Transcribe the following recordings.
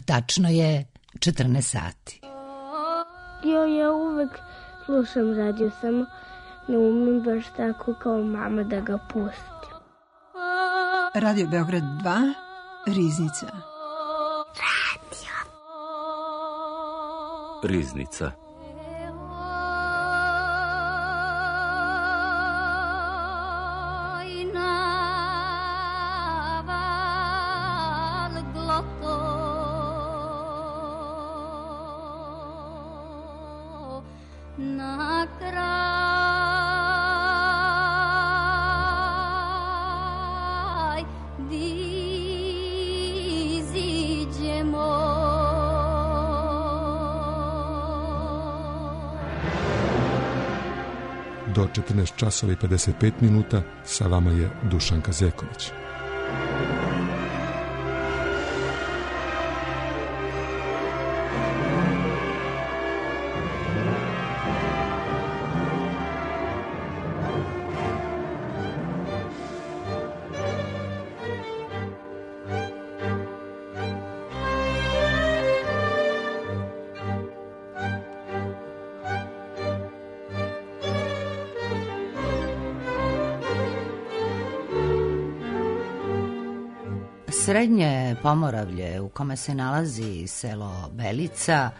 Tačno je 14 sati. Ja uvek slušam radio, samo ne umem baš tako kao mama da ga pustim. Radio Beograd 2, Riznica. Riznica. Do 14 časova i 55 minuta sa vama je Dušanka Zeković. Srednje Pomoravlje, u kome se nalazi selo Belica,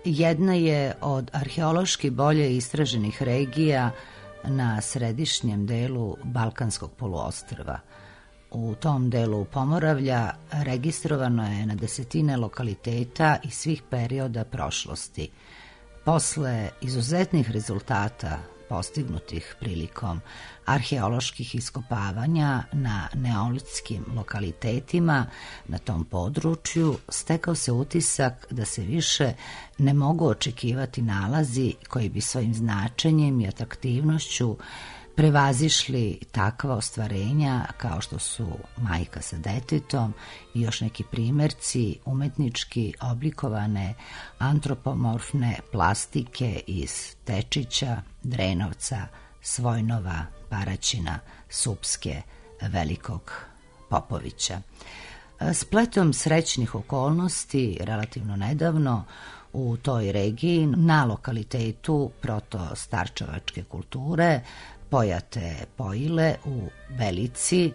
jedna je od arheološki bolje istraženih regija na središnjem delu Balkanskog poluostrva. U tom delu Pomoravlja registrovano je na desetine lokaliteta iz svih perioda prošlosti. Posle izuzetnih rezultata postignutih prilikom arheoloških iskopavanja na neolitskim lokalitetima na tom području, stekao se utisak da se više ne mogu očekivati nalazi koji bi svojim značenjem i atraktivnošću prevazišli takva ostvarenja kao što su Majka sa detetom i još neki primerci umetnički oblikovane antropomorfne plastike iz Tečića, Drenovca, Svojnova, Paraćina, Supske, Velikog Popovića. Spletom srećnih okolnosti, relativno nedavno, u toj regiji, na lokalitetu proto-starčevačke kulture, Pojate Pojile u Belici,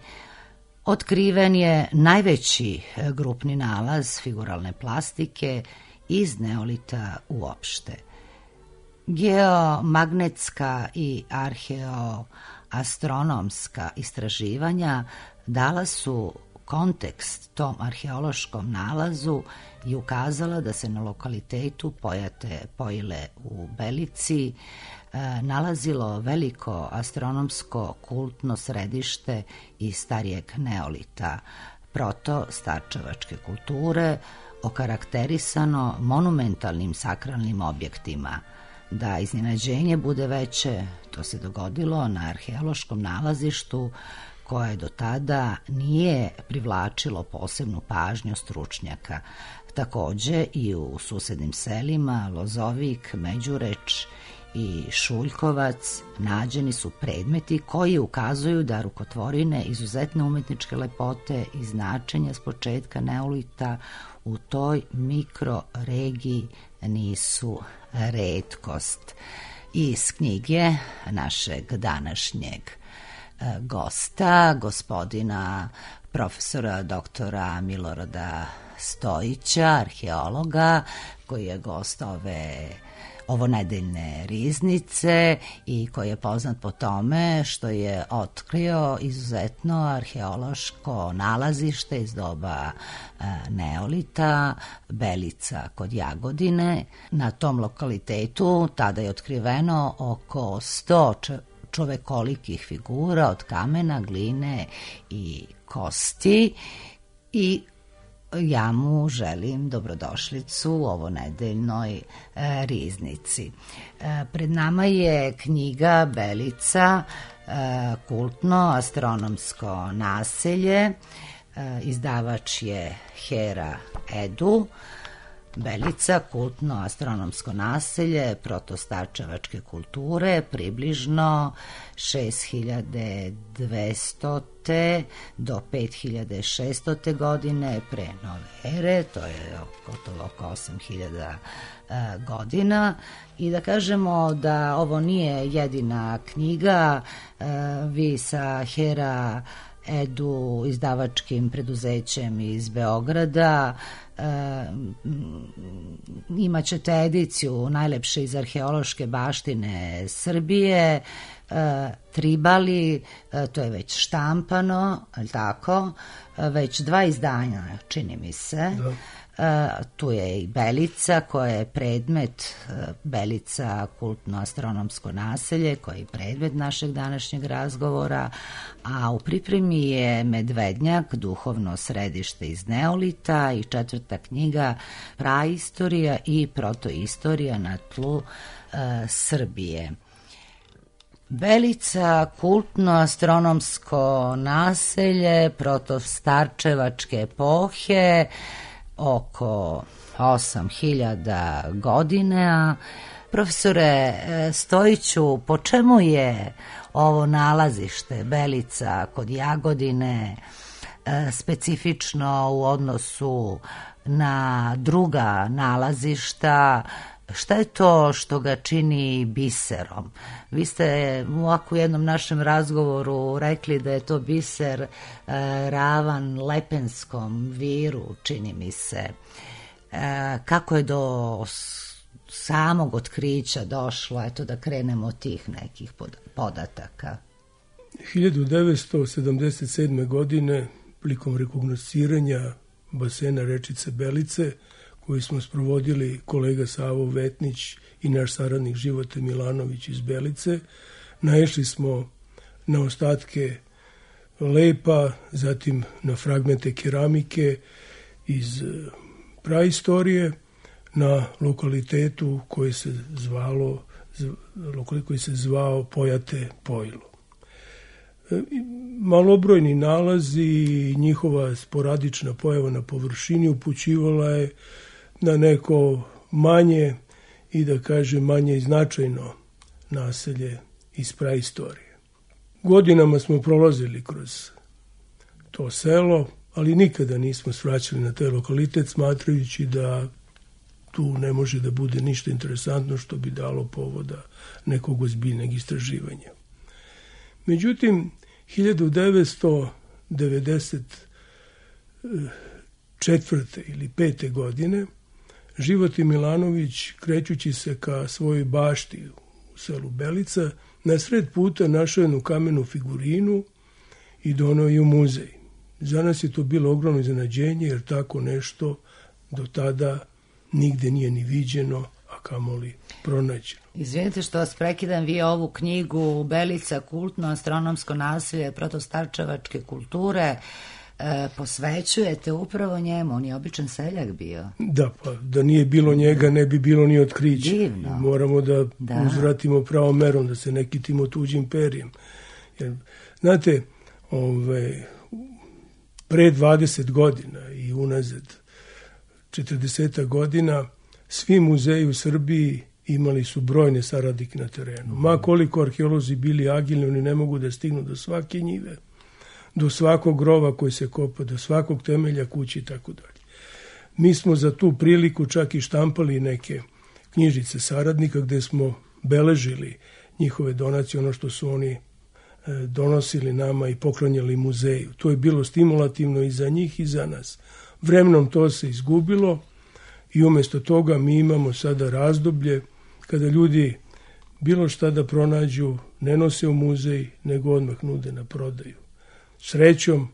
otkriven je najveći grupni nalaz figuralne plastike iz neolita uopšte. Geomagnetska i arheoastronomska istraživanja dala su kontekst tom arheološkom nalazu i ukazala da se na lokalitetu Pojate Pojile u Belici nalazilo veliko astronomsko kultno središte iz starijeg neolita, proto-starčevačke kulture, okarakterisano monumentalnim sakralnim objektima. Da iznenađenje bude veće, to se dogodilo na arheološkom nalazištu koje do tada nije privlačilo posebnu pažnju stručnjaka. Takođe i u susednim selima Lozovik, Međureč i Šuljkovac nađeni su predmeti koji ukazuju da rukotvorine izuzetne umetničke lepote i značenja s početka neolita u toj mikroregiji nisu retkost. Iz knjige našeg današnjeg gosta, gospodina profesora doktora Milorada Stojića, arheologa, koji je gost ovonedeljne Riznice i koji je poznat po tome što je otkrio izuzetno arheološko nalazište iz doba neolita, Belica kod Jagodine. Na tom lokalitetu tada je otkriveno oko 100 čovekolikih figura od kamena, gline i kosti i ja mu želim dobrodošlicu u ovonedeljnoj Riznici. Pred nama je knjiga Belica, kultno astronomsko naselje. Izdavač je Hera Edu. Belica, kultno astronomsko naselje protostarčevačke kulture, približno 6200. do 5600. godine pre nove ere, to je gotovo oko 8000 godina. I da kažemo da ovo nije jedina knjiga, vi sa Hera Edu izdavačkim preduzećem iz Beograda imat ćete ediciju najlepše iz arheološke baštine Srbije, Tribali, to je već štampano, ali tako, već 2 izdanja, čini mi se. Da. Tu je i Belica koja je predmet, Belica kultno astronomsko naselje koja je predmet našeg današnjeg razgovora, a u pripremi je Medvednjak, duhovno središte iz Neolita i 4. knjiga Praistorija i protoistorija na tlu Srbije. Belica, kultno astronomsko naselje protostarčevačke epohe, oko 8000 godina. Profesore Stojiću, po čemu je ovo nalazište Belica kod Jagodine specifično u odnosu na druga nalazišta? Šta je to što ga čini biserom? Vi ste u ovako jednom našem razgovoru rekli da je to biser ravan Lepenskom viru, čini mi se. Kako je do samog otkrića došlo? Eto da krenemo od tih nekih podataka. 1977. godine, prilikom rekognosciranja basena rečice Belice, koji smo sprovodili kolega Savo Vetnić i naš saradnik Živote Milanović iz Belice, naišli smo na ostatke lepa, zatim na fragmente keramike iz praistorije, na lokalitetu koji se zvao Pojate Pojlo. Malobrojni nalazi i njihova sporadična pojava na površini upućivala je na neko manje i da kažem manje značajno naselje iz praistorije. Godinama smo prolazili kroz to selo, ali nikada nismo svraćali na taj lokalitet, smatrajući da tu ne može da bude ništa interesantno što bi dalo povoda nekog ozbiljnog istraživanja. Međutim, 1994. ili 5. godine Živote Milanović, krećući se ka svojoj bašti u selu Belica, na sred puta našao jednu kamenu figurinu i doneo je u muzej. Za nas je to bilo ogromno iznenađenje, jer tako nešto do tada nigde nije ni viđeno, a kamoli pronađeno. Izvinite što vas prekidam, vi ovu knjigu Belica, kultno astronomsko naselje protostarčevačke kulture posvećujete upravo njemu, on je običan seljak bio. Da, pa da nije bilo njega ne bi bilo ni otkrića. Divno. Moramo da uzvratimo pravom merom, da se ne kitimo tuđim perjem. Jer, znate, pre 20 godina i unazad 40 godina svi muzeji u Srbiji imali su brojne saradnike na terenu. Ma koliko arheolozi bili agilni, oni ne mogu da stignu do svake njive, do svakog grova koji se kopa, do svakog temelja kući i tako dalje. Mi smo za tu priliku čak i štampali neke knjižice saradnika gde smo beležili njihove donacije, ono što su oni donosili nama i poklanjali muzeju. To je bilo stimulativno i za njih i za nas. Vremenom to se izgubilo i umjesto toga mi imamo sada razdoblje kada ljudi bilo šta da pronađu ne nose u muzej, nego odmah nude na prodaju. Srećom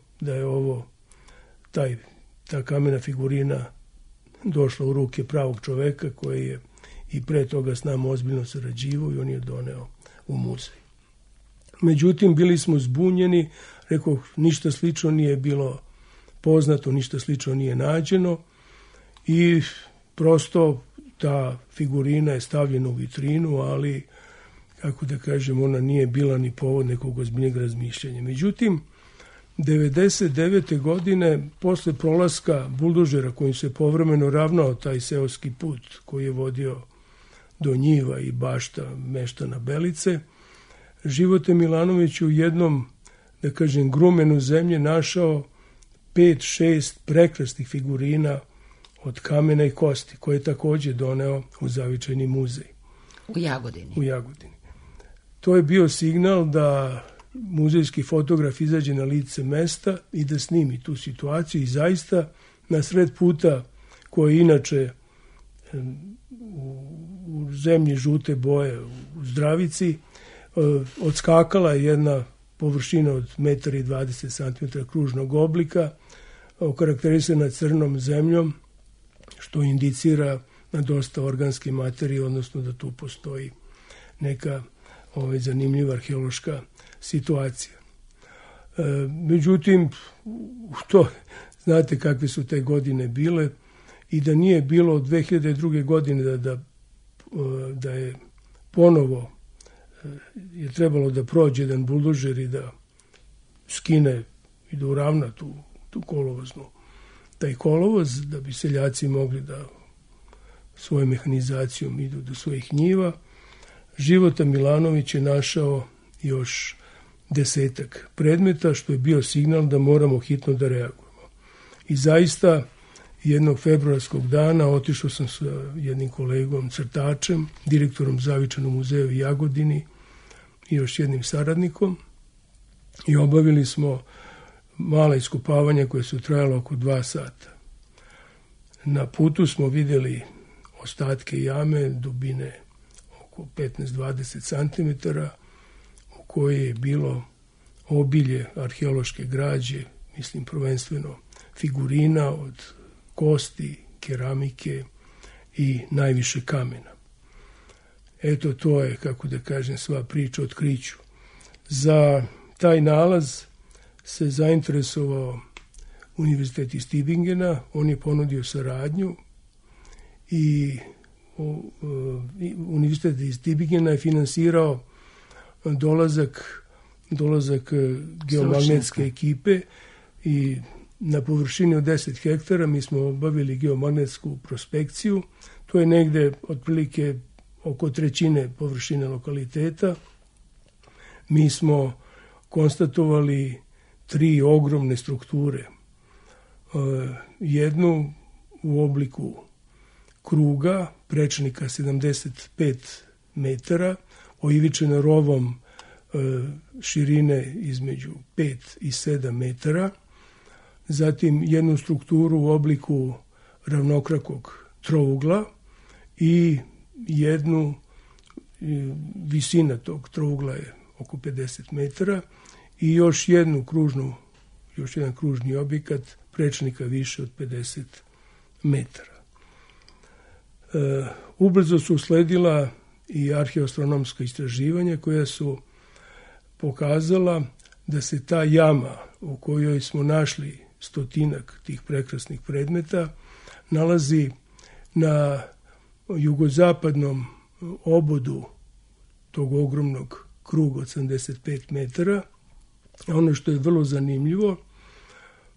da je ta kamena figurina došla u ruke pravog čoveka koji je i pre toga s nama ozbiljno sarađivao i on je doneo u muzej. Međutim, bili smo zbunjeni, rekoh, ništa slično nije bilo poznato, ništa slično nije nađeno i prosto ta figurina je stavljena u vitrinu, ali, kako da kažem, ona nije bila ni povod nekog ozbiljnjeg razmišljanja. Međutim, 99. godine, posle prolaska buldožera kojim se povremeno ravnao taj seoski put koji je vodio do njiva i bašta meštana Belice, Živote Milanović u jednom, da kažem, grumenu zemlje našao 5-6 prekrasnih figurina od kamena i kosti, koje je takođe doneo u Zavičajni muzej. U Jagodini. U Jagodini. To je bio signal da muzejski fotograf izađe na lice mesta i da snimi tu situaciju i zaista na sred puta koji inače u zemlji žute boje u Zdravici odskakala je jedna površina od 1,20 m kružnog oblika, okarakterisana crnom zemljom, što indicira na dosta organske materije, odnosno da tu postoji neka zanimljiva arheološka situacija. Međutim, to znate kakve su te godine bile i da nije bilo od 2002. godine da je ponovo je trebalo da prođe jedan buldožer i da skine i da uravna tu kolovoznu. Taj kolovoz, da bi seljaci mogli da svojom mehanizacijom idu do svojih njiva, Života Milanović je našao još 10 predmeta, što je bio signal da moramo hitno da reagujemo. I zaista, jednog februarskog dana otišao sam sa jednim kolegom crtačem, direktorom Zavičajnog muzeja u Jagodini i još jednim saradnikom i obavili smo mala iskopavanja koje su trajala oko 2 sata. Na putu smo vidjeli ostatke jame dubine oko 15-20 cm u kojoj je bilo obilje arheološke građe, mislim prvenstveno figurina od kosti, keramike i najviše kamena. Eto, to je, kako da kažem, sva priča o otkriću. Za taj nalaz se zainteresovao Univerzitet iz Tübingena, on je ponudio saradnju i Univerzitet iz Tübingena je finansirao dolazak geomagnetske ekipe i na površini od 10 hektara mi smo obavili geomagnetsku prospekciju. To je negde otprilike oko 1/3 površine lokaliteta. Mi smo konstatovali 3 ogromne strukture. Jednu u obliku kruga, prečnika 75 metara, oivičena rovom širine između 5 i 7 metara, zatim jednu strukturu u obliku ravnokrakog trougla i jednu, visina tog trougla je oko 50 metara i još jedan kružni objekat prečnika više od 50 metara. Ubrzo su usledila i arheoastronomska istraživanja koja su pokazala da se ta jama u kojoj smo našli 100 tih prekrasnih predmeta nalazi na jugozapadnom obodu tog ogromnog kruga od 75 metara. A ono što je vrlo zanimljivo,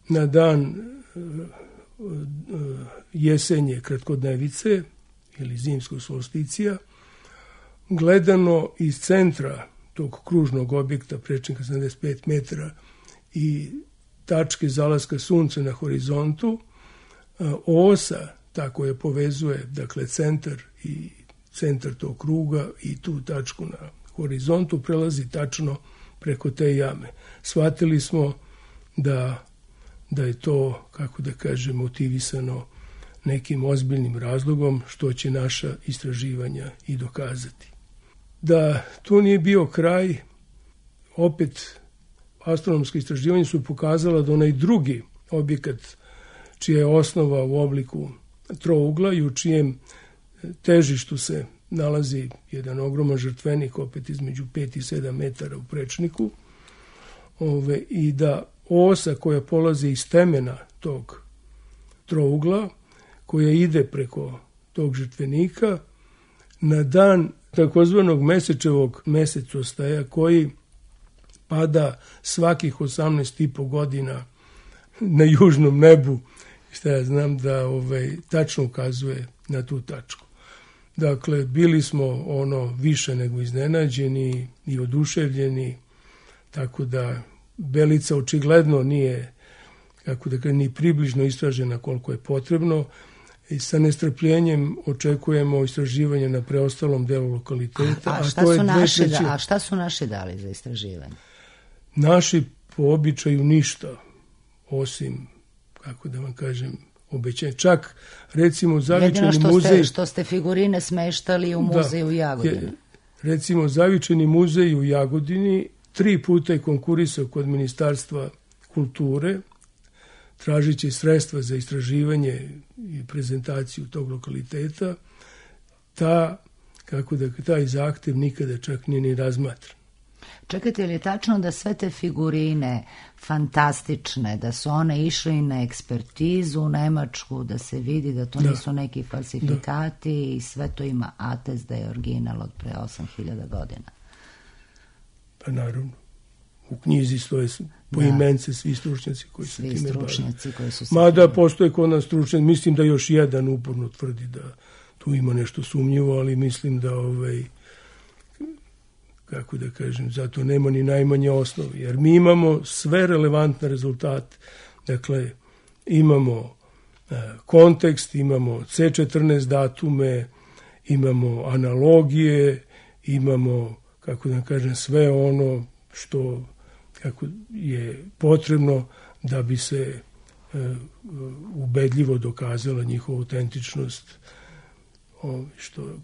na dan jesenje kratkodnevice ili zimskog solsticija, gledano iz centra tog kružnog objekta prečnika 75 metara i tačke zalaska sunca na horizontu, osa ta koja povezuje, dakle, centar tog kruga i tu tačku na horizontu prelazi tačno preko te jame. Shvatili smo da je to, kako da kažem, motivisano nekim ozbiljnim razlogom, što će naša istraživanja i dokazati. Da tu nije bio kraj, opet astronomska istraživanja su pokazala da onaj drugi objekat, čija je osnova u obliku trougla i u čijem težištu se nalazi jedan ogroman žrtvenik, opet između 5 i 7 metara u prečniku, i da osa koja polazi iz temena tog trougla, koja ide preko tog žrtvenika, na dan takozvanog mesečevog mesecostaja, koji pada svakih 18,5 godina na južnom nebu, šta ja znam da tačno ukazuje na tu tačku. Dakle, bili smo više nego iznenađeni i oduševljeni, tako da Belica očigledno nije, ni približno istražena koliko je potrebno, i sa nestrpljenjem očekujemo istraživanje na preostalom delu lokaliteta. A šta su naši dali za istraživanje? Naši po običaju ništa, osim, obećanje. Čak, recimo, Zavičajni muzej... Jedino što ste figurine smeštali u muzeju u Jagodini. Recimo, Zavičajni muzej u Jagodini 3 puta je konkurisao kod Ministarstva kulture, tražići sredstva za istraživanje i prezentaciju tog lokaliteta. Taj zahtev nikada čak nije ni razmatran. Čekajte, je li tačno da sve te figurine fantastične, da su one išle na ekspertizu u Nemačku, da se vidi da to nisu neki falsifikati i sve to ima atest da je original od pre 8.000 godina? Pa naravno. U knjizi stoje poimence svi stručnjaci koji se time bave. Mada postoje kod nas stručnjaci, mislim da još jedan uporno tvrdi da tu ima nešto sumnjivo, ali mislim da zato nema ni najmanje osnovi. Jer mi imamo sve relevantne rezultate. Dakle, imamo kontekst, imamo C14 datume, imamo analogije, imamo, sve ono što je potrebno da bi se ubedljivo dokazala njihova autentičnost,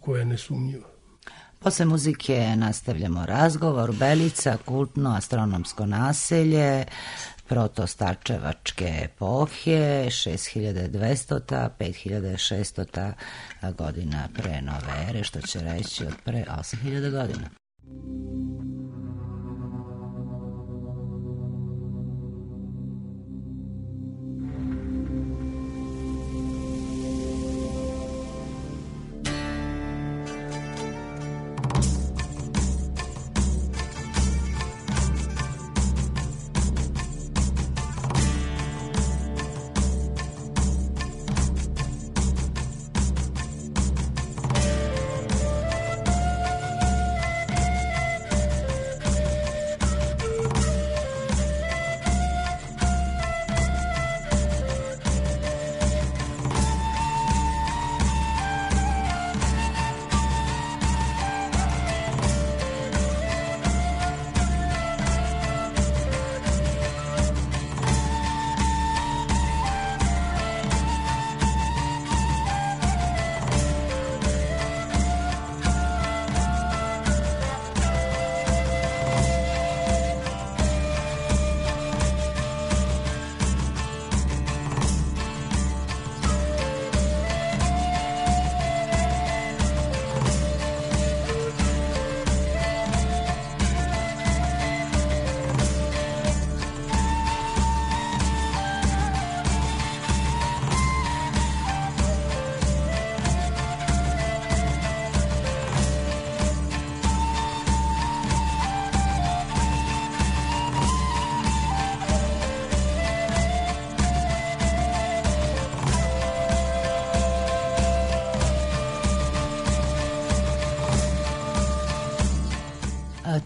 koja je nesumnjiva. Posle muzike nastavljamo razgovor. Belica, kultno astronomsko naselje protostarčevačke epohe, 6200. 5600. godina pre nove ere, što će reći od pre 8000 godina.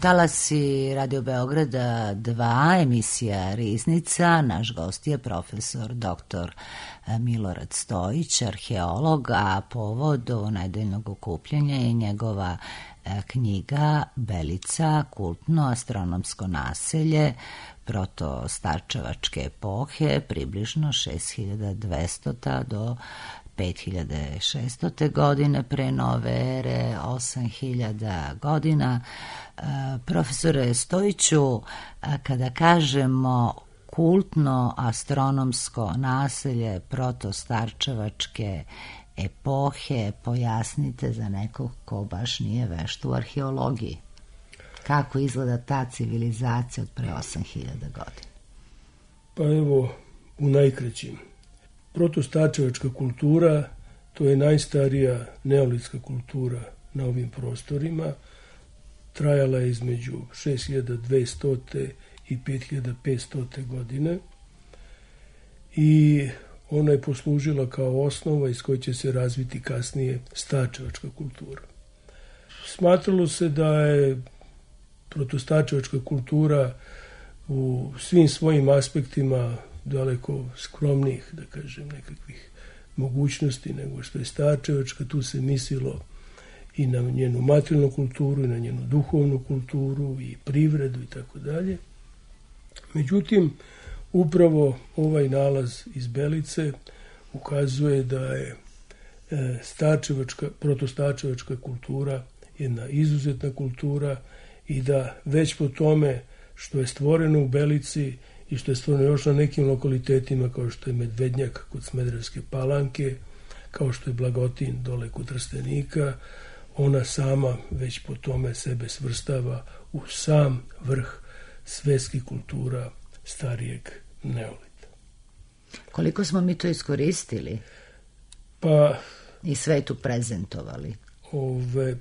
Talasi Radio Beograda 2, emisija Riznica. Naš gost je profesor dr. Milorad Stojić, arheolog, a povod ovog nedeljnog okupljanja je njegova knjiga Belica, kultno astronomsko naselje protostarčevačke epohe, približno 6200. do 5600. godine pre nove ere, 8000 godina. Profesore Stojiću, kada kažemo kultno astronomsko naselje protostarčevačke epohe, pojasnite za nekog ko baš nije vešt u arheologiji. Kako izgleda ta civilizacija od pre 8000 godina? Pa evo, u najkraćim. Protostarčevačka kultura, to je najstarija neolitska kultura na ovim prostorima. trajala je između 6200. i 5500. godine i ona je poslužila kao osnova iz koje će se razviti kasnije stačevačka kultura. Smatralo se da je protostačevačka kultura u svim svojim aspektima daleko skromnijih, da kažem, nekakvih mogućnosti nego što je stačevačka. Tu se mislilo i na njenu materijalnu kulturu, i na njenu duhovnu kulturu, i privredu i tako dalje. Međutim, upravo ovaj nalaz iz Belice ukazuje da je protostačevačka kultura jedna izuzetna kultura i da već po tome što je stvoreno u Belici i što je stvoreno još na nekim lokalitetima kao što je Medvednjak kod Smederevske Palanke, kao što je Blagotin dole kod Trstenika, ona sama već po tome sebe svrstava u sam vrh svetskih kultura starijeg neolita. Koliko smo mi to iskoristili? Pa i svetu prezentovali?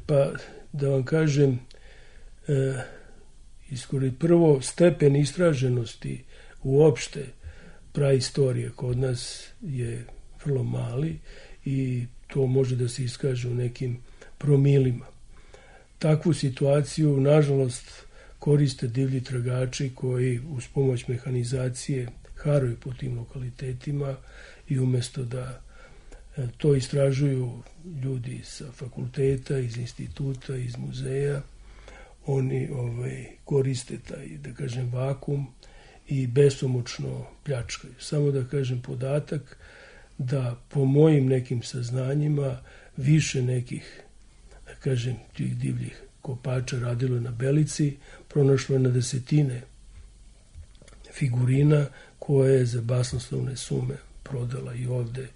Pa da vam kažem, prvo stepen istraženosti uopšte praistorije kod nas je vrlo mali i to može da se iskaže u nekim promilima. Takvu situaciju, nažalost, koriste divlji tragači koji uz pomoć mehanizacije haraju po tim lokalitetima i umjesto da to istražuju ljudi sa fakulteta, iz instituta, iz muzeja, oni koriste taj, da kažem, vakum i besomučno pljačkaju. Samo da kažem podatak da po mojim nekim saznanjima više nekih, da kažem, tih divljih kopača radilo na Belici, pronašlo je na desetine figurina koje je za basnoslovne sume prodala i ovde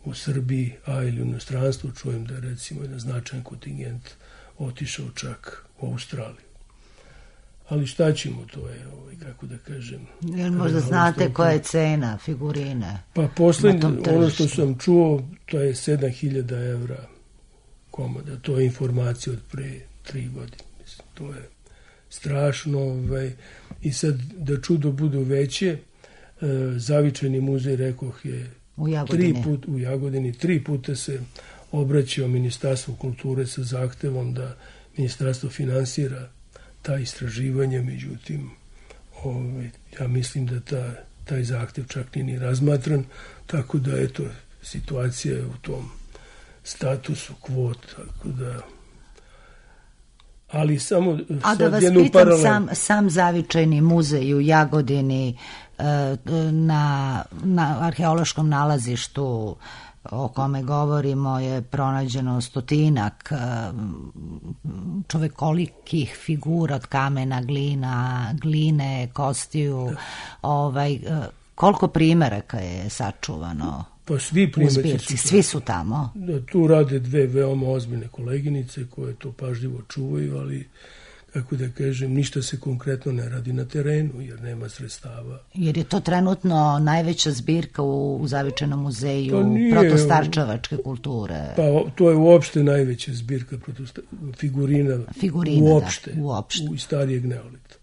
u Srbiji, a ili u inostranstvu. Čujem da je recimo jedan značajan kontingent otišao čak u Australiju. Ali šta ćemo, to je, kako da kažem... Jer možda znate koja je cena figurine? Pa poslednje, ono što sam čuo, to je 7.000 evra komada. To je informacija od pre 3 godine. Mislim, to je strašno. I sad, da čudo budu veće, Zavičajni muzej, rekoh, je u Jagodini 3 puta se obraćao Ministarstvu kulture sa zahtevom da Ministarstvo finansira ta istraživanje, međutim, ja mislim da taj zahtev čak nije ni razmatran, tako da, eto, situacija je u tom statusu kvot, tako da... Ali samo... A da vas pitam, sam Zavičajni muzej u Jagodini na arheološkom nalazištu o kome govorimo je pronađeno 100 čovekolikih figura od kamena, gline, kostiju. Koliko primeraka je sačuvano? Pa svi primjerci svi su tamo. Tu rade 2 veoma ozbiljne koleginice koje to pažljivo čuvaju, ali kako da kažem, ništa se konkretno ne radi na terenu, jer nema sredstava. Jer je to trenutno najveća zbirka u Zavičajnom muzeju protostarčevačke kulture. Pa to je uopšte najveća zbirka figurina uopšte. U starijeg neolita.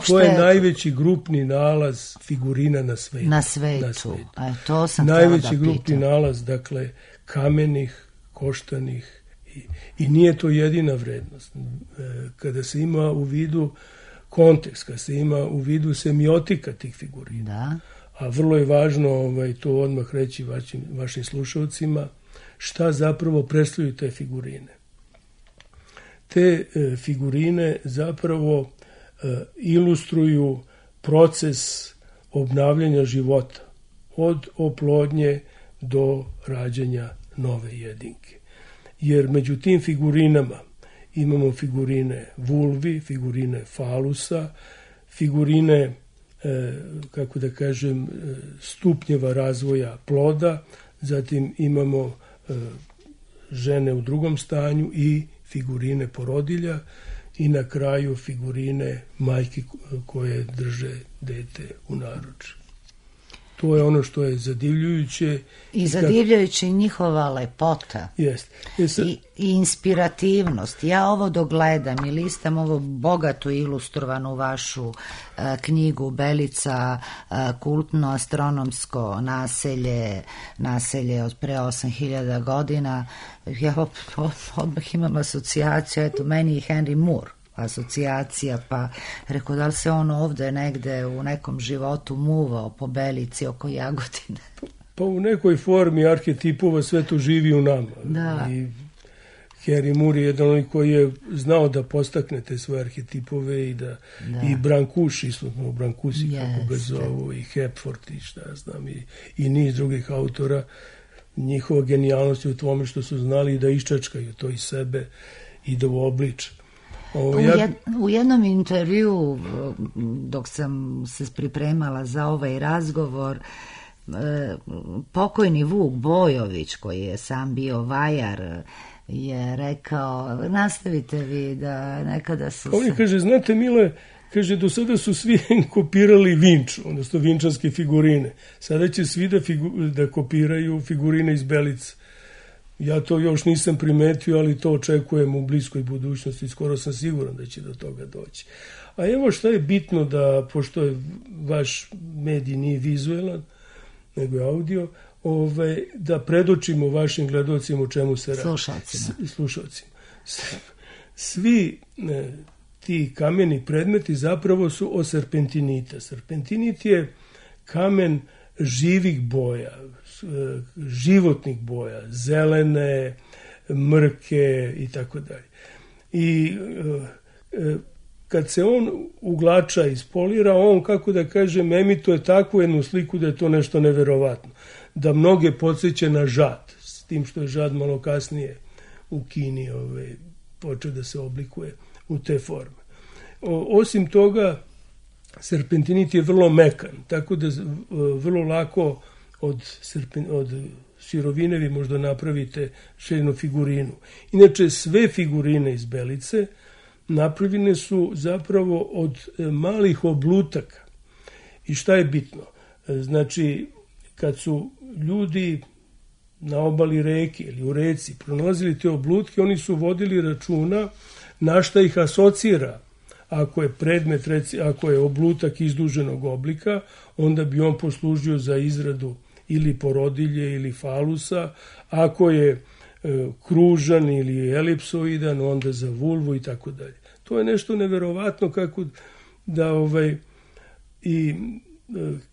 To je najveći grupni nalaz figurina na svetu. Na svetu. To sam najveći grupni nalaz, dakle, kamenih, koštanih, i nije to jedina vrednost. Kada se ima u vidu kontekst, kada se ima u vidu semiotika tih figurina, da. A vrlo je važno to odmah reći vašim slušalcima, šta zapravo predstavljaju te figurine. Te figurine zapravo ilustruju proces obnavljanja života, od oplodnje do rađanja nove jedinke. Jer među tim figurinama imamo figurine vulvi, figurine falusa, figurine, kako da kažem, stupnjeva razvoja ploda, zatim imamo žene u drugom stanju i figurine porodilja i na kraju figurine majki koje drže dete u naručju. To je ono što je zadivljujuće. I zadivljujuće njihova lepota. Jest. I inspirativnost. Ja ovo dogledam i listam ovo bogatu ilustrovanu vašu knjigu Belica, kultno astronomsko naselje od pre 8000 godina. Ja odmah imam asocijaciju, eto, meni i Henry Moore asocijacija, pa rekao, da li se on ovde negde u nekom životu muvao po Belici oko Jagodine? Pa u nekoj formi arhetipova sve to živi u nama. Da. I Henry Moore je jedan koji je znao da postakne te svoje arhetipove i i Brancuš, isto Brancusi, kako ga zovu, i Hepford i šta ja znam, i niz drugih autora. Njihova genijalnost je u tome što su znali da iščačkaju to iz sebe i da uobliče. U jednom intervju, dok sam se pripremala za ovaj razgovor, pokojni Vuk Bojović, koji je sam bio vajar, je rekao, nastavite vi da nekada su... On je kaže, znate Mile, kaže, do sada su svi kopirali Vinču, odnosno vinčanske figurine. Sada će svi da kopiraju figurine iz Belice. Ja to još nisam primetio, ali to očekujem u bliskoj budućnosti. Skoro sam siguran da će do toga doći. A evo šta je bitno da, pošto je vaš medij nije vizuelan, nego je audio, da predočimo vašim gledalcima o čemu se radi. Slušalcima. Svi ti kameni predmeti zapravo su od serpentinita. Serpentinit je kamen živih boja, životnih boja, zelene, mrke i tako dalje. I kad se on uglača i spolira, on, kako da kažem, emituje takvu jednu sliku da je to nešto neverovatno. Da mnoge podsjeća na žad, s tim što je žad malo kasnije u Kini počeo da se oblikuje u te forme. Osim toga, serpentinit je vrlo mekan, tako da vrlo lako od sirovine vi možda napravite jednu figurinu. Inače, sve figurine iz Belice napravljene su zapravo od malih oblutaka. I šta je bitno? Znači, kad su ljudi na obali reke ili u reci pronalazili te oblutke, oni su vodili računa na šta ih asocira. Ako je predmet, ako je oblutak izduženog oblika, onda bi on poslužio za izradu ili porodilje ili falusa. Ako je kružan ili elipsoidan, onda za vulvu i tako dalje. To je nešto neverovatno kako da i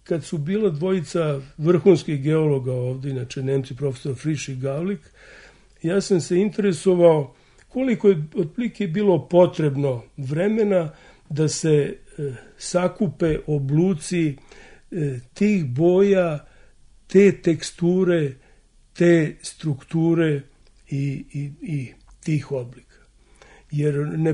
kad su bila dvojica vrhunskih geologa ovdje, inače Nemci, profesor Frisch i Gavlik, ja sam se interesovao koliko je otprilike bilo potrebno vremena da se sakupe obluci tih boja, te teksture, te strukture i tih oblika. Jer ne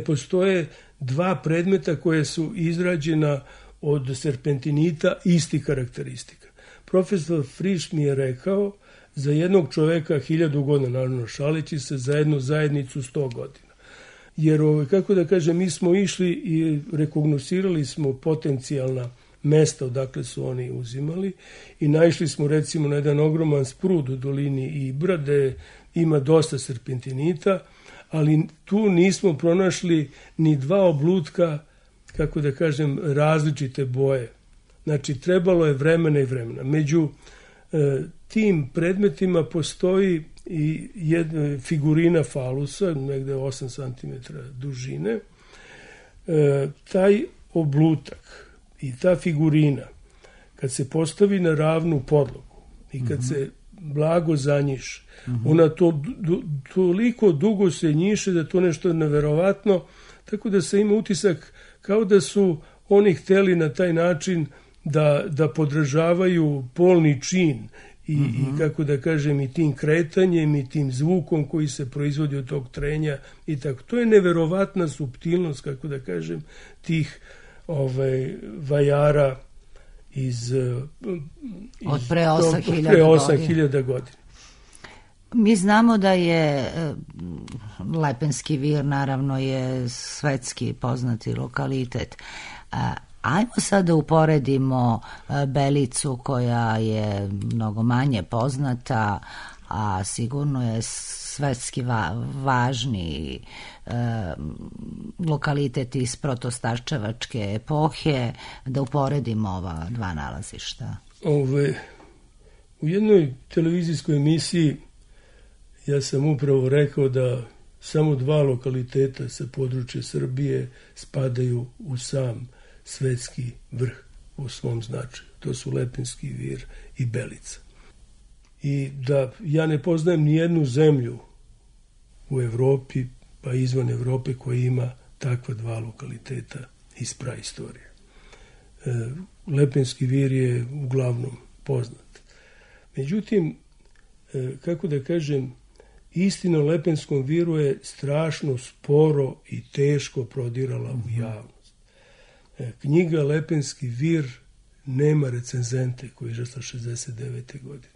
postoje dva predmeta koje su izrađena od serpentinita istih karakteristika. Profesor Frisch mi je rekao za jednog čoveka 1000 godina, naravno šaleći se, za jednu zajednicu 100 godina. Jer, kako da kažem, mi smo išli i rekognosirali smo potencijalna mesta odakle su oni uzimali i naišli smo recimo na jedan ogroman sprud u dolini Ibra gde ima dosta serpentinita, ali tu nismo pronašli ni dva oblutka, kako da kažem, različite boje. Znači, trebalo je vremena i vremena. Među tim predmetima postoji i jedna figurina falusa, negde 8 cm dužine. Taj oblutak i ta figurina, kad se postavi na ravnu podlogu i kad se blago zanjiše, ona toliko dugo se njiše da to nešto neverovatno, tako da se ima utisak kao da su oni hteli na taj način da podržavaju polni čin i kako da kažem, i tim kretanjem i tim zvukom koji se proizvodi od tog trenja i tako. To je neverovatna suptilnost, kako da kažem, tih vajara od pre 8000 godina. Mi znamo da je Lepenski vir, naravno, je svetski poznati lokalitet. Ajmo sad da uporedimo Belicu koja je mnogo manje poznata, a sigurno je svetski važni lokalitet iz protostarčevačke epohe, da uporedimo ova dva nalazišta. U jednoj televizijskoj emisiji ja sam upravo rekao da samo 2 lokaliteta sa područja Srbije spadaju u sam svetski vrh u svom značaju. To su Lepenski vir i Belica. I da ja ne poznajem ni jednu zemlju u Evropi, pa izvan Evrope, koja ima takva 2 lokaliteta iz praistorije. Lepenski vir je uglavnom poznat. Međutim, kako da kažem, istina o Lepenskom viru je strašno sporo i teško prodirala u javnost. Knjiga Lepenski vir nema recenzente, koji je izašla 69. godine.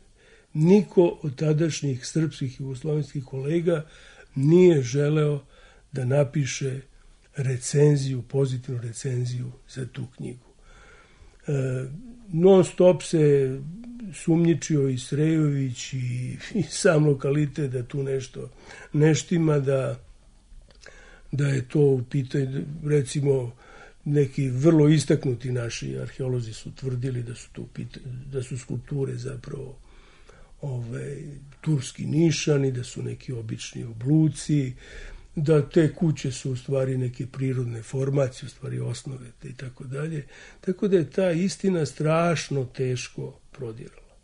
Niko od tadašnjih srpskih i jugoslovenskih kolega nije želeo da napiše recenziju, pozitivnu recenziju za tu knjigu. Non stop se sumnjičio i Srejović i sam lokalitet da tu nešto neštima, da je to u pitanju, recimo neki vrlo istaknuti naši arheolozi su tvrdili da su skulpture zapravo turski nišani, da su neki obični obluci, da te kuće su u stvari neke prirodne formacije, u stvari osnove i tako dalje. Tako da je ta istina strašno teško prodirala.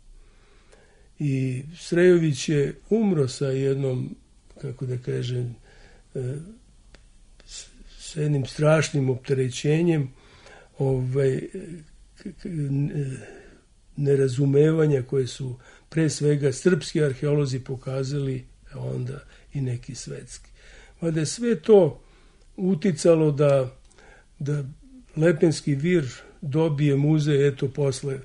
I Srejović je umro sa jednom, kako da kažem, sa jednim strašnim opterećenjem nerazumevanja koje su pre svega srpski arheolozi pokazali, a onda i neki svetski. Mada je sve to uticalo da Lepenski vir dobije muzej eto posle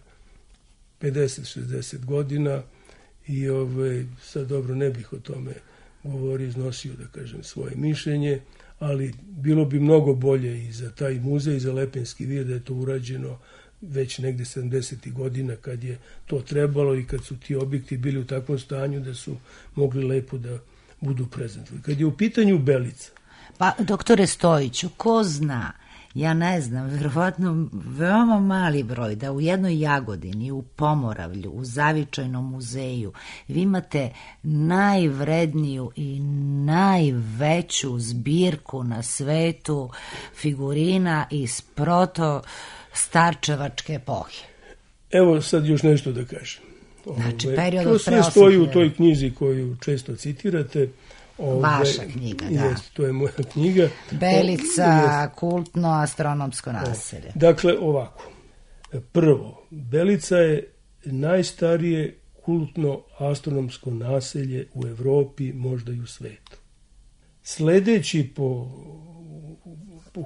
50-60 godina i sad dobro ne bih o tome govorio, iznosio da kažem svoje mišljenje, ali bilo bi mnogo bolje i za taj muzej, i za Lepenski vir da je to urađeno već negde 70. godina kad je to trebalo i kad su ti objekti bili u takvom stanju da su mogli lepo da budu prezentovani. Kad je u pitanju Belica. Pa, doktore Stojiću, ko zna, ja ne znam, verovatno veoma mali broj, da u jednoj Jagodini, u Pomoravlju, u Zavičajnom muzeju, vi imate najvredniju i najveću zbirku na svetu figurina iz proto-starčevačke epohe. Evo sad još nešto da kažem. Znači, period to sve stoji u toj knjizi koju često citirate. Vaša knjiga, da. Jest, to je moja knjiga. Belica, kultno astronomsko naselje. Dakle, ovako. Prvo, Belica je najstarije kultno astronomsko naselje u Evropi, možda i u svetu. Sledeći po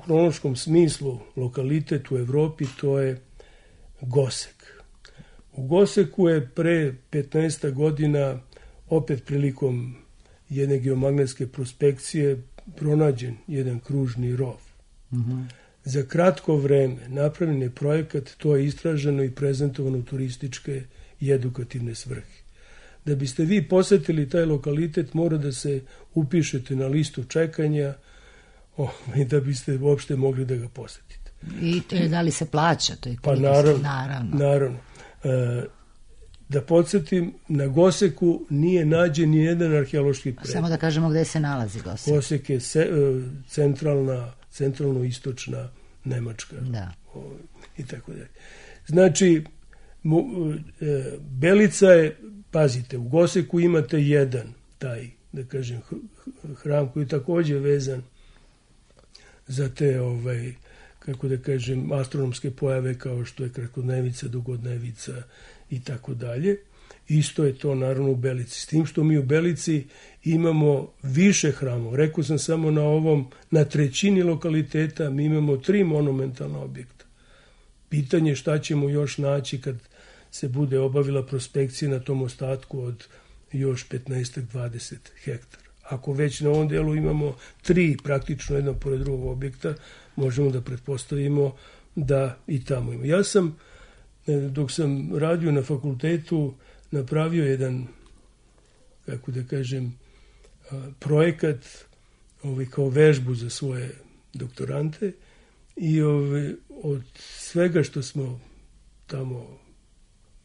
hronološkom smislu lokalitet u Evropi, to je Gosek. U Goseku je pre 15 godina, opet prilikom jedne geomagnetske prospekcije, pronađen jedan kružni rov. Za kratko vreme napravljen je projekat, to je istraženo i prezentovano u turističke i edukativne svrhe. Da biste vi posetili taj lokalitet, mora da se upišete na listu čekanja i da biste uopšte mogli da ga posetite. I da li se plaća? To je pa naravno. Da podsjetim, na Goseku nije nađen ni jedan arheološki predmet. Samo da kažemo gde se nalazi Gosek. Gosek je centralno-istočna Nemačka. Da. I tako dalje. Znači, Belica je, pazite, u Goseku imate jedan taj, da kažem, hram koji je takođe vezan za te, kako da kažem, astronomske pojave kao što je krakodnevica, dugodnevica i tako dalje. Isto je to naravno u Belici. S tim što mi u Belici imamo više hramova. Rekao sam samo na trećini lokaliteta mi imamo 3 monumentalna objekta. Pitanje šta ćemo još naći kad se bude obavila prospekcija na tom ostatku od još 15-20 hektara. Ako već na ovom delu imamo 3 praktično jedno pored drugog objekta, možemo da pretpostavimo da i tamo ima. Ja sam, dok sam radio na fakultetu, napravio jedan, kako da kažem, projekat kao vežbu za svoje doktorante i od svega što smo tamo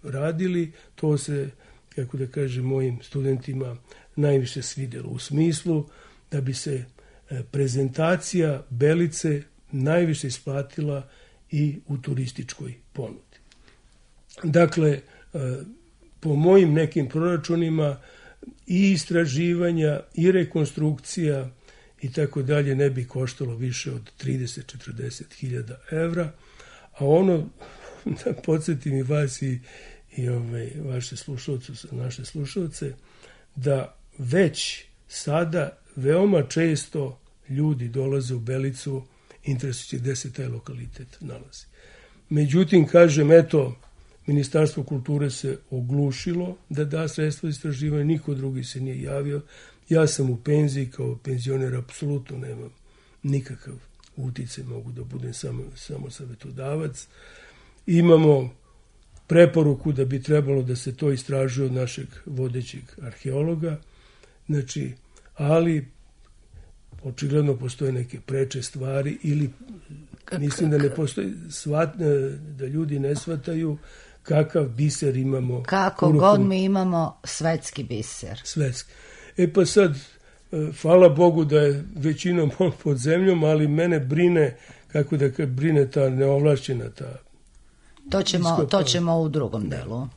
radili, to se, kako da kažem, mojim studentima najviše svidjelo, u smislu da bi se prezentacija Belice najviše isplatila i u turističkoj ponudi. Dakle, po mojim nekim proračunima i istraživanja i rekonstrukcija i tako dalje ne bi koštalo više od 30-40 hiljada evra, a ono, da podsjetim i vas i vaše slušalce, naše slušalce, da već sada veoma često ljudi dolaze u Belicu interesujući gde se taj lokalitet nalazi. Međutim, kažem, eto, Ministarstvo kulture se oglušilo da da sredstvo istraživanja, niko drugi se nije javio. Ja sam u penziji, kao penzioner apsolutno nemam nikakav uticaj, mogu da budem samo savjetodavac. Imamo preporuku da bi trebalo da se to istražuje od našeg vodećeg arheologa, znači, ali očigledno postoje neke preče stvari ili mislim da ne postoji, da ljudi ne shvataju kakav biser imamo. Kako god mi imamo svetski biser. Svetski. Pa sad, hvala Bogu da je većinom pod zemljom, ali mene brine, kako da brine ta neovlašćena ta. To ćemo u drugom delu.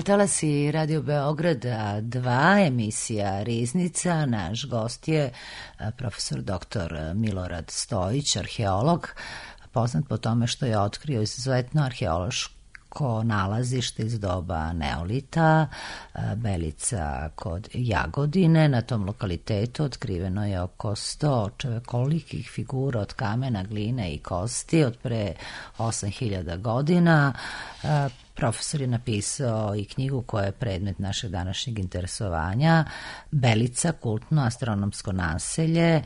Talasi Radio Beograda 2, emisija Riznica. Naš gost je profesor dr. Milorad Stojić, arheolog, poznat po tome što je otkrio izuzetno arheološko nalazište iz doba neolita, Belica kod Jagodine. Na tom lokalitetu otkriveno je oko 100 čovekolikih figura od kamena, gline i kosti od pre 8000 godina. Profesor je napisao i knjigu koja je predmet našeg današnjeg interesovanja, Belica, kultno astronomsko naselje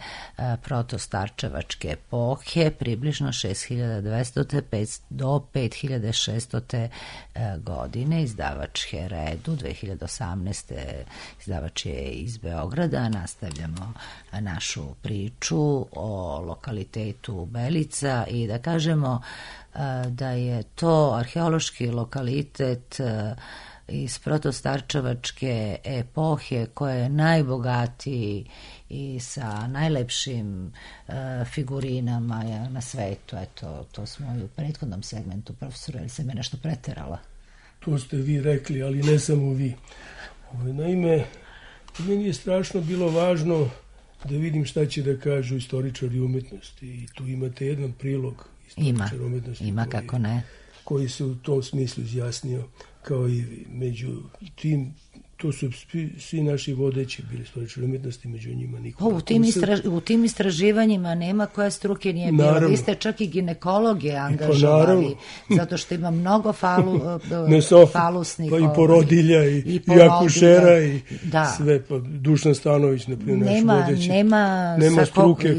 protostarčevačke epohe, približno 6200. do 5600. godine. Izdavač Heredu, 2018. izdavač je iz Beograda. Nastavljamo našu priču o lokalitetu Belica i da kažemo da je to arheološki lokalitet iz protostarčevačke epohe koja je najbogatiji i sa najlepšim figurinama na svetu. Eto, to smo i u prethodnom segmentu, profesor, ali se me nešto preterala? To ste vi rekli, ali ne samo vi. Naime, meni je strašno bilo važno da vidim šta će da kažu istoričari umetnosti i tu imate jedan prilog Ima, kako ne. Koji se u tom smislu izjasnio kao i vi. Među tim to su svi naši vodeći bili istoričari umetnosti, među njima Nikola Kusel. U tim istraživanjima nema koja struke nije bilo. Vi ste čak i ginekologe angažovali, zato što ima mnogo falusnih... Pa i porodilja, i akušera, i sve. Pa Dušan Stanović, na primjer, naš vodeći. Nema struke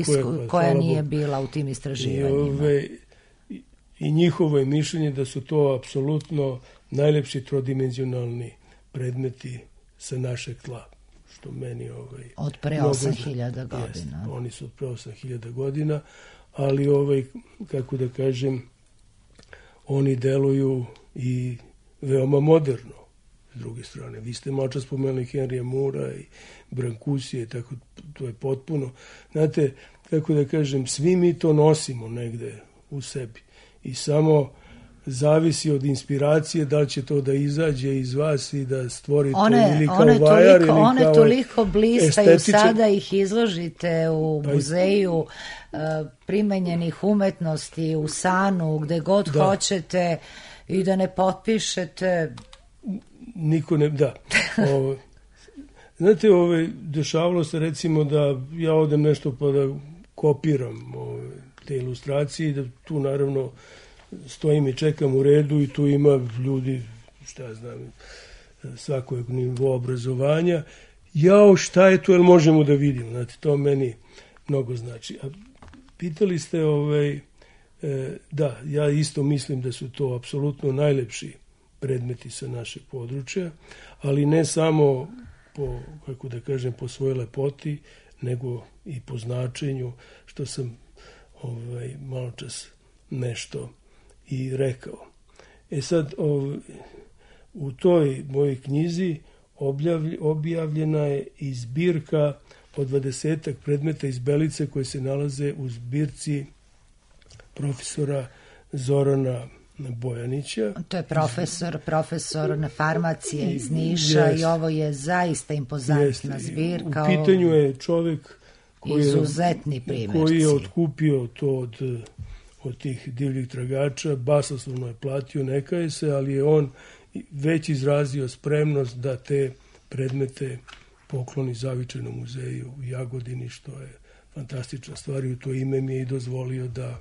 koja nije bila u tim istraživanjima. I njihovo je mišljenje da su to apsolutno najlepši trodimenzionalni predmeti sa našeg tla, što meni od pre 8.000 godina. Jest, oni su od pre 8.000 godina, ali kako da kažem, oni deluju i veoma moderno. S druge strane, vi ste malo čas spomenuli Henrya Moora i Brancusia, tako to je potpuno. Znate, kako da kažem, svi mi to nosimo negde u sebi i samo zavisi od inspiracije da li će to da izađe iz vas i da stvori to ili kao vajar ili kao one toliko blistaju, sada ih izložite u muzeju primenjenih umetnosti, u Sanu, gde god hoćete, i da ne potpišete. Niko ne, da. Znate, dešavalo se recimo da ja odem nešto pa da kopiram te ilustracije i da tu naravno stojim i čekam u redu i tu ima ljudi, šta ja znam, svakog nivoa obrazovanja. Jao, šta je to, jel možemo da vidimo? Znate, to meni mnogo znači. A pitali ste, da, ja isto mislim da su to apsolutno najlepši predmeti sa našeg područja, ali ne samo po, kako da kažem, po svojoj lepoti, nego i po značenju, što sam malo čas nešto i rekao. Sad, u toj mojoj knjizi objavljena je i zbirka od 20 predmeta iz Belice koje se nalaze u zbirci profesora Zorana Bojanića. To je profesor na farmacije iz Niša i ovo je zaista impozantna zbirka. U pitanju je čovek izuzetni primjerci. Koji je otkupio to od tih divljih tragača, basoslovno je platio, ne kaje se, ali je on već izrazio spremnost da te predmete pokloni Zavičajnom muzeju u Jagodini, što je fantastična stvar i u to ime mi je i dozvolio da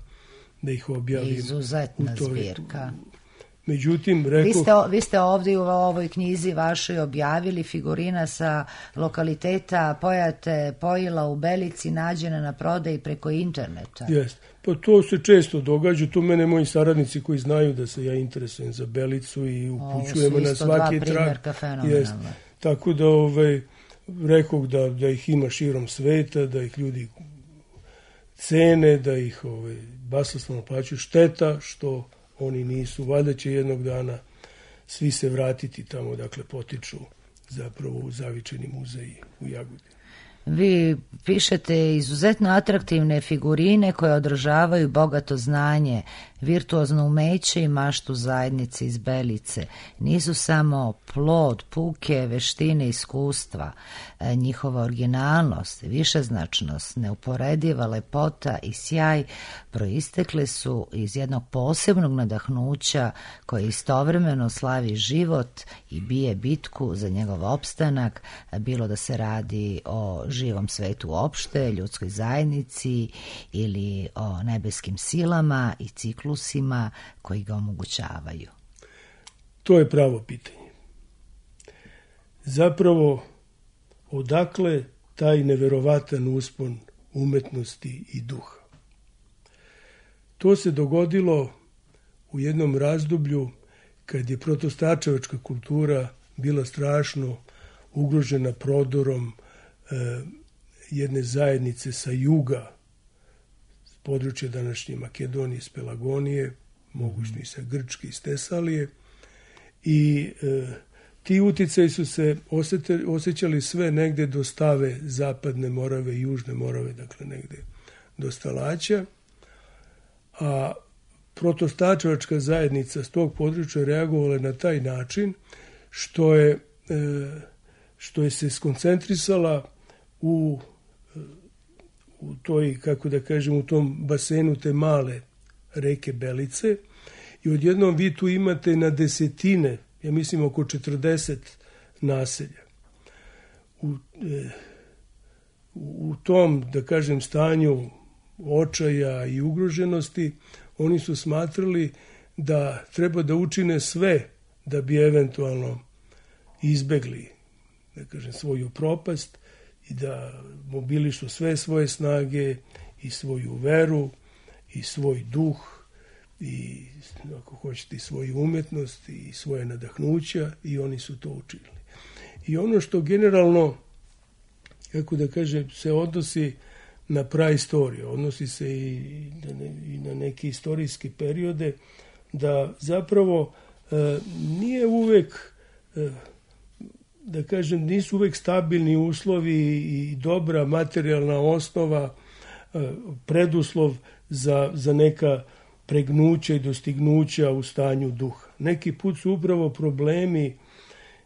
ih objavim. Izuzetna zbirka. Međutim, rekao... Vi ste ovdje u ovoj knjizi vašoj objavili figurina sa lokaliteta Pojate Pojila u Belici, nađena na prodaji preko interneta. Jeste. Pa to se često događa. Tu mene moji saradnici koji znaju da se ja interesujem za Belicu i upućujemo na svaki trag. Jeste. Tako da rekao da ih ima širom sveta, da ih ljudi cene, da ih basoslovno plaćaju. Šteta što oni nisu. Valjda će jednog dana svi se vratiti tamo, dakle potiču zapravo u Zavičajni muzej u Jagodini. Vi pišete izuzetno atraktivne figurine koje održavaju bogato znanje, virtuozno umeće i maštu zajednice iz Belice. Nisu samo plod, puke, veštine, iskustva. Njihova originalnost, višeznačnost, neuporediva lepota i sjaj proistekle su iz jednog posebnog nadahnuća koje istovremeno slavi život i bije bitku za njegov opstanak, bilo da se radi o živom svetu uopšte, ljudskoj zajednici ili o nebeskim silama i ciklusima koji ga omogućavaju. To je pravo pitanje. Zapravo, odakle taj neverovatan uspon umetnosti i duha? To se dogodilo u jednom razdoblju kad je protostačevačka kultura bila strašno ugrožena prodorom jedne zajednice sa juga, s područja današnje Makedonije, s Pelagonije, mogućno i sa Grčke i s Tesalije. I ti uticaji su se osjećali sve negde do Stave, Zapadne Morave i Južne Morave, dakle negde do Stalaća. A protostačevačka zajednica s tog područja reagovala na taj način što je se skoncentrisala u toj, kako da kažem, u tom basenu te male reke Belice i odjednom vi tu imate na desetine, ja mislim oko 40 naselja. u tom, da kažem, stanju očaja i ugroženosti, oni su smatrali da treba da učine sve da bi eventualno izbegli, da kažem, svoju propast i da mobilišu sve svoje snage i svoju veru i svoj duh i, ako hoćete, svoju umetnost i svoje nadahnuća, i oni su to učinili. I ono što generalno, kako da kažem, se odnosi na praistoriju, odnosi se i na neke istorijske periode, da zapravo nije uvek, da kažem, nisu uvek stabilni uslovi i dobra materijalna osnova preduslov za neka pregnuća i dostignuća u stanju duha. Neki put su upravo problemi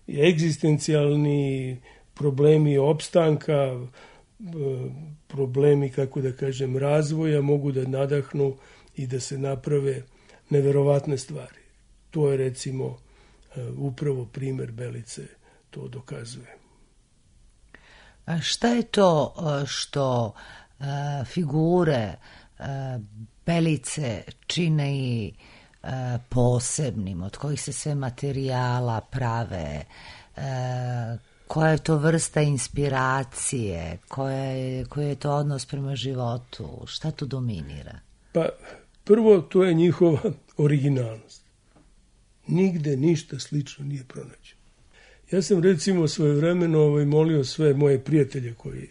egzistencijalni, problemi opstanka, problemi, kako da kažem, razvoja mogu da nadahnu i da se naprave neverovatne stvari. To je, recimo, upravo primer Belice to dokazuje. A šta je to što figure Belice čine i posebnim, od kojih se sve materijala prave, koja je to vrsta inspiracije, koji je to odnos prema životu, šta tu dominira? Pa prvo, to je njihova originalnost. Nigde ništa slično nije pronađeno. Ja sam, recimo, svojevremeno molio sve moje prijatelje koji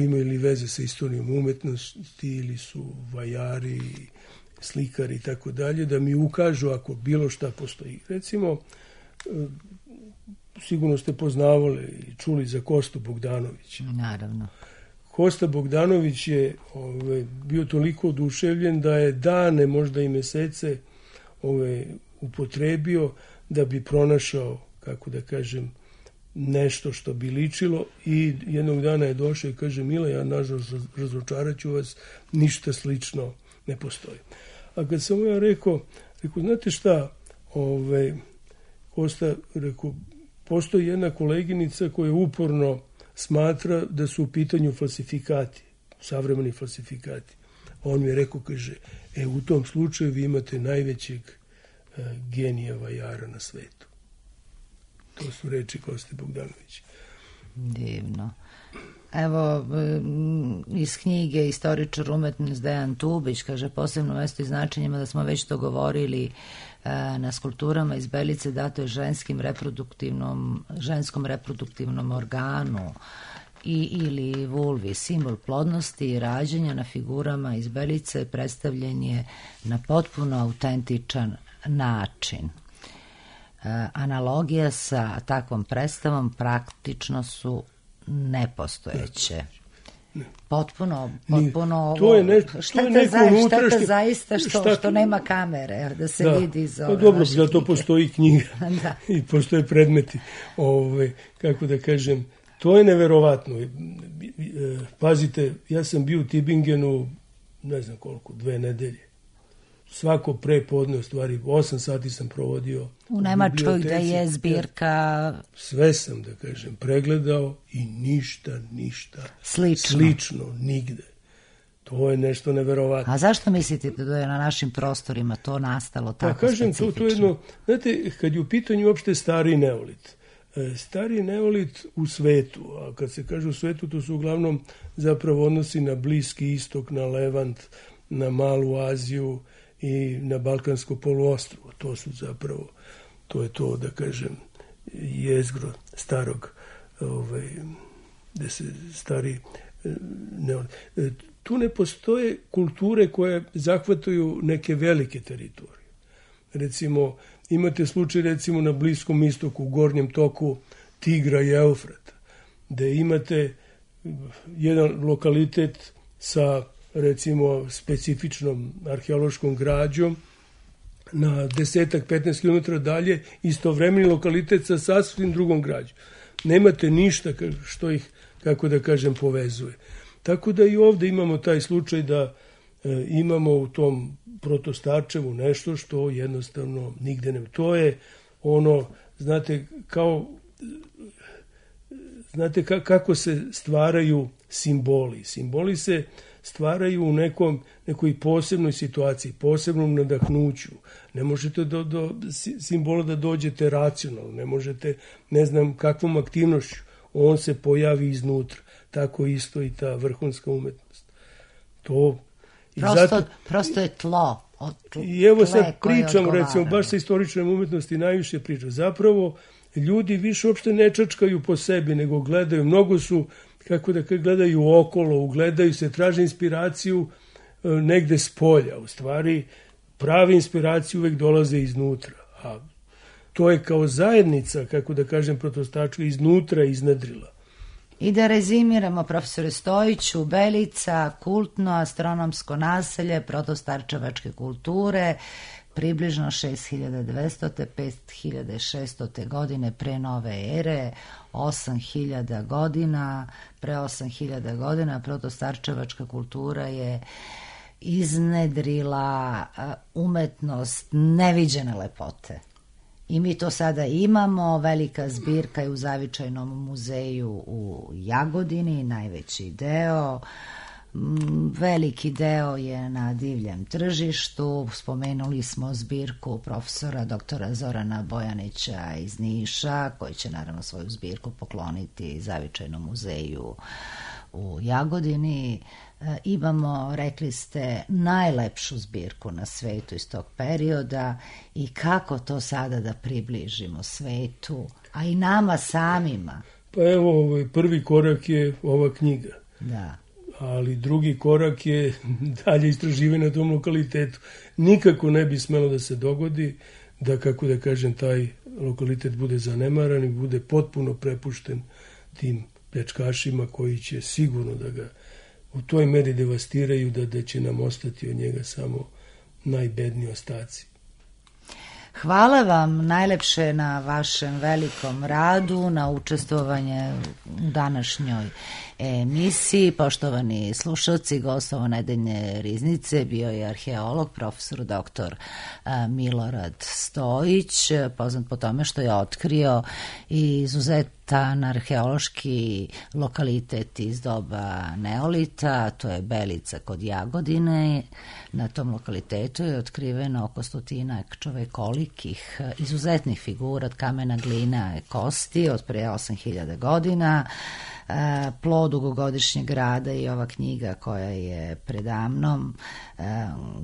imaju ili veze sa istorijom umetnosti ili su vajari, slikari i tako dalje, da mi ukažu ako bilo šta postoji. Recimo, sigurno ste poznavali i čuli za Kostu Bogdanovića. Naravno. Kosta Bogdanović je bio toliko oduševljen da je dane, možda i mesece upotrebio da bi pronašao, kako da kažem, nešto što bi ličilo, i jednog dana je došao i kaže: Mila, ja nažalost razočarat ću vas, ništa slično ne postoji. A kad sam ja rekao, znate šta, Kosta, rekao, postoji jedna koleginica koja uporno smatra da su u pitanju falsifikati, savremeni falsifikati. On mi je rekao, kaže, u tom slučaju vi imate najvećeg genija vajara na svetu. To su reči Koste Bogdanovića. Divno. Evo, iz knjige Istoričar umetnosti Dejan Tubić kaže: posebno mesto i značenjima, da smo već to govorili, na skulpturama iz Belice dato je ženskom reproduktivnom organu ili vulvi, simbol plodnosti i rađanja. Na figurama iz Belice predstavljen je na potpuno autentičan način. Analogija sa takvom predstavom praktično su nepostojeće. Potpuno to je nešto, šteta zaista što nema kamere da se vidi iz ove. Dobro, zato postoji knjiga i postoje predmeti. Kako da kažem, to je neverovatno. Pazite, ja sam bio u Tübingenu, ne znam koliko, 2 nedelje. Svako prepodne, u stvari 8 sati sam provodio u Nemačkoj, gde je zbirka. Sve sam, da kažem, pregledao i ništa slično nigde. To je nešto neverovatno. A zašto mislite da je na našim prostorima to nastalo tako specifično? To je jedno, znate, kad je u pitanju uopšte stari neolit. Stari neolit u svetu, a kad se kaže u svetu, to su uglavnom zapravo odnosi na Bliski istok, na Levant, na Malu Aziju i na Balkansko poluostrvo. To su zapravo, to je to, da kažem, jezgro starog, gde se stari neolit. Tu ne postoje kulture koje zahvataju neke velike teritorije. Recimo, imate slučaj, recimo, na Bliskom istoku, u gornjem toku Tigra i Eufrata, gde imate jedan lokalitet sa, recimo, specifičnom arheološkom građom, na 10-15 km dalje istovremeni lokalitet sa sasvim drugom građom. Nemate ništa što ih, kako da kažem, povezuje. Tako da i ovde imamo taj slučaj da imamo u tom Protostarčevu nešto što jednostavno nigde ne... To je ono, znate, kao znate kako se stvaraju simboli. Simboli se stvaraju u nekoj posebnoj situaciji, posebnom nadahnuću. Ne možete do simbola da dođete racionalno, ne možete ne znam kakvom aktivnošću. On se pojavi iznutra. Tako isto i ta vrhunska umetnost. Prosto je tlo. I evo sad pričam, recimo, baš sa istoričnom umetnosti najviše pričam. Zapravo, ljudi više uopšte ne čačkaju po sebi, nego gledaju. Mnogo su, gledaju okolo, ugledaju se, traže inspiraciju negde s polja. U stvari, prave inspiracije uvek dolaze iznutra. A to je kao zajednica, protostačka, iznutra iznadrila. I da rezimiramo, profesore Stojiću, Belica, kultno astronomsko naselje protostarčevačke kulture, približno 6200. 5600. godine pre nove ere, 8000 godina, pre 8000 godina protostarčevačka kultura je iznedrila umetnost neviđene lepote. I mi to sada imamo, velika zbirka je u Zavičajnom muzeju u Jagodini, najveći deo, veliki deo je na divljem tržištu, spomenuli smo zbirku profesora doktora Zorana Bojanića iz Niša, koji će naravno svoju zbirku pokloniti Zavičajnom muzeju u Jagodini. Imamo, rekli ste, najlepšu zbirku na svetu iz tog perioda i kako to sada da približimo svetu, a i nama samima. Pa evo, prvi korak je ova knjiga. Da. Ali drugi korak je dalje istraživanje na tom lokalitetu. Nikako ne bi smelo da se dogodi da, taj lokalitet bude zanemaran i bude potpuno prepušten tim pljačkašima koji će sigurno da ga u toj meri devastiraju da će nam ostati od njega samo najbedniji ostaci. Hvala vam najlepše na vašem velikom radu, na učestvovanje u današnjoj emisiji. Poštovani slušalci, gost nedeljne riznice bio je arheolog, profesor doktor Milorad Stojić, poznat po tome što je otkrio izuzetan arheološki lokalitet iz doba neolita, to je Belica kod Jagodine. Na tom lokalitetu je otkriveno oko 100 čovekolikih izuzetnih figura od kamena, glina i kosti od pre 8000 godina. Plod dugogodišnjeg rada i ova knjiga koja je predamnom,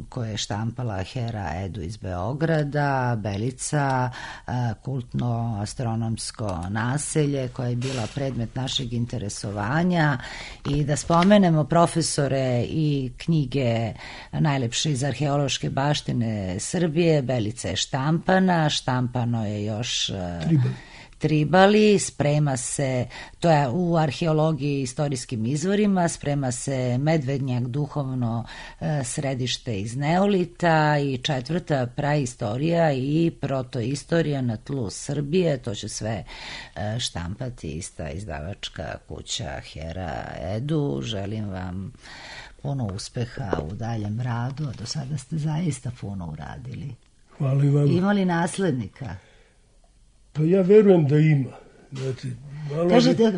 koja je štampala Hera Edu iz Beograda, Belica, kultno astronomsko naselje koje je bila predmet našeg interesovanja. I da spomenemo, profesore, i knjige najlepše iz arheološke baštine Srbije. Belica je štampano je još Tribali, sprema se, to je u arheologiji i istorijskim izvorima, sprema se Medvednjak, duhovno središte iz neolita i 4. praistorija i protoistorija na tlu Srbije. To će sve štampati ista izdavačka kuća Hera Edu. Želim vam puno uspeha u daljem radu, a do sada ste zaista puno uradili. Hvala i vam. Ima li naslednika? Pa ja verujem da ima. Znači,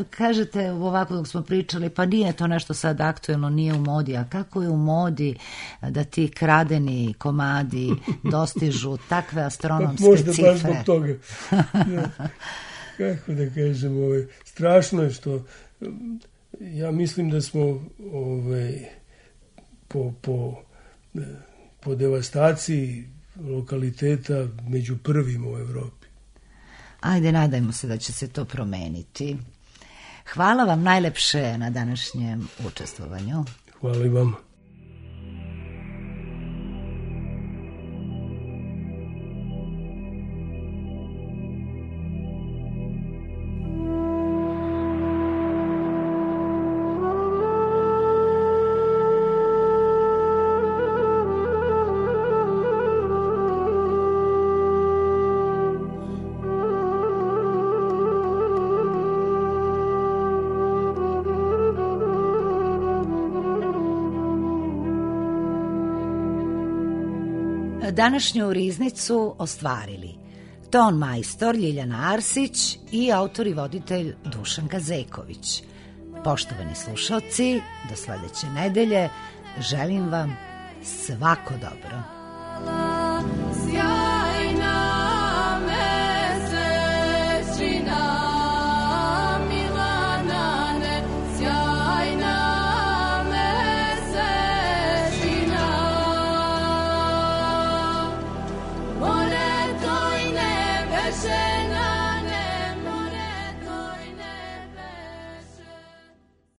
kažete ovako dok smo pričali, pa nije to nešto sad aktuelno, nije u modi, a kako je u modi da ti kradeni komadi dostižu takve astronomske možda cifre? Možda baš zbog toga. Kako da kažem, strašno je što ja mislim da smo po devastaciji lokaliteta među prvima u Evropi. Ajde, nadajmo se da će se to promeniti. Hvala vam najlepše na današnjem učestvovanju. Hvala i vama. Današnju riznicu ostvarili ton majstor Ljiljana Arsić i autor i voditelj Dušan Kazeković. Poštovani slušalci, do sledeće nedelje želim vam svako dobro.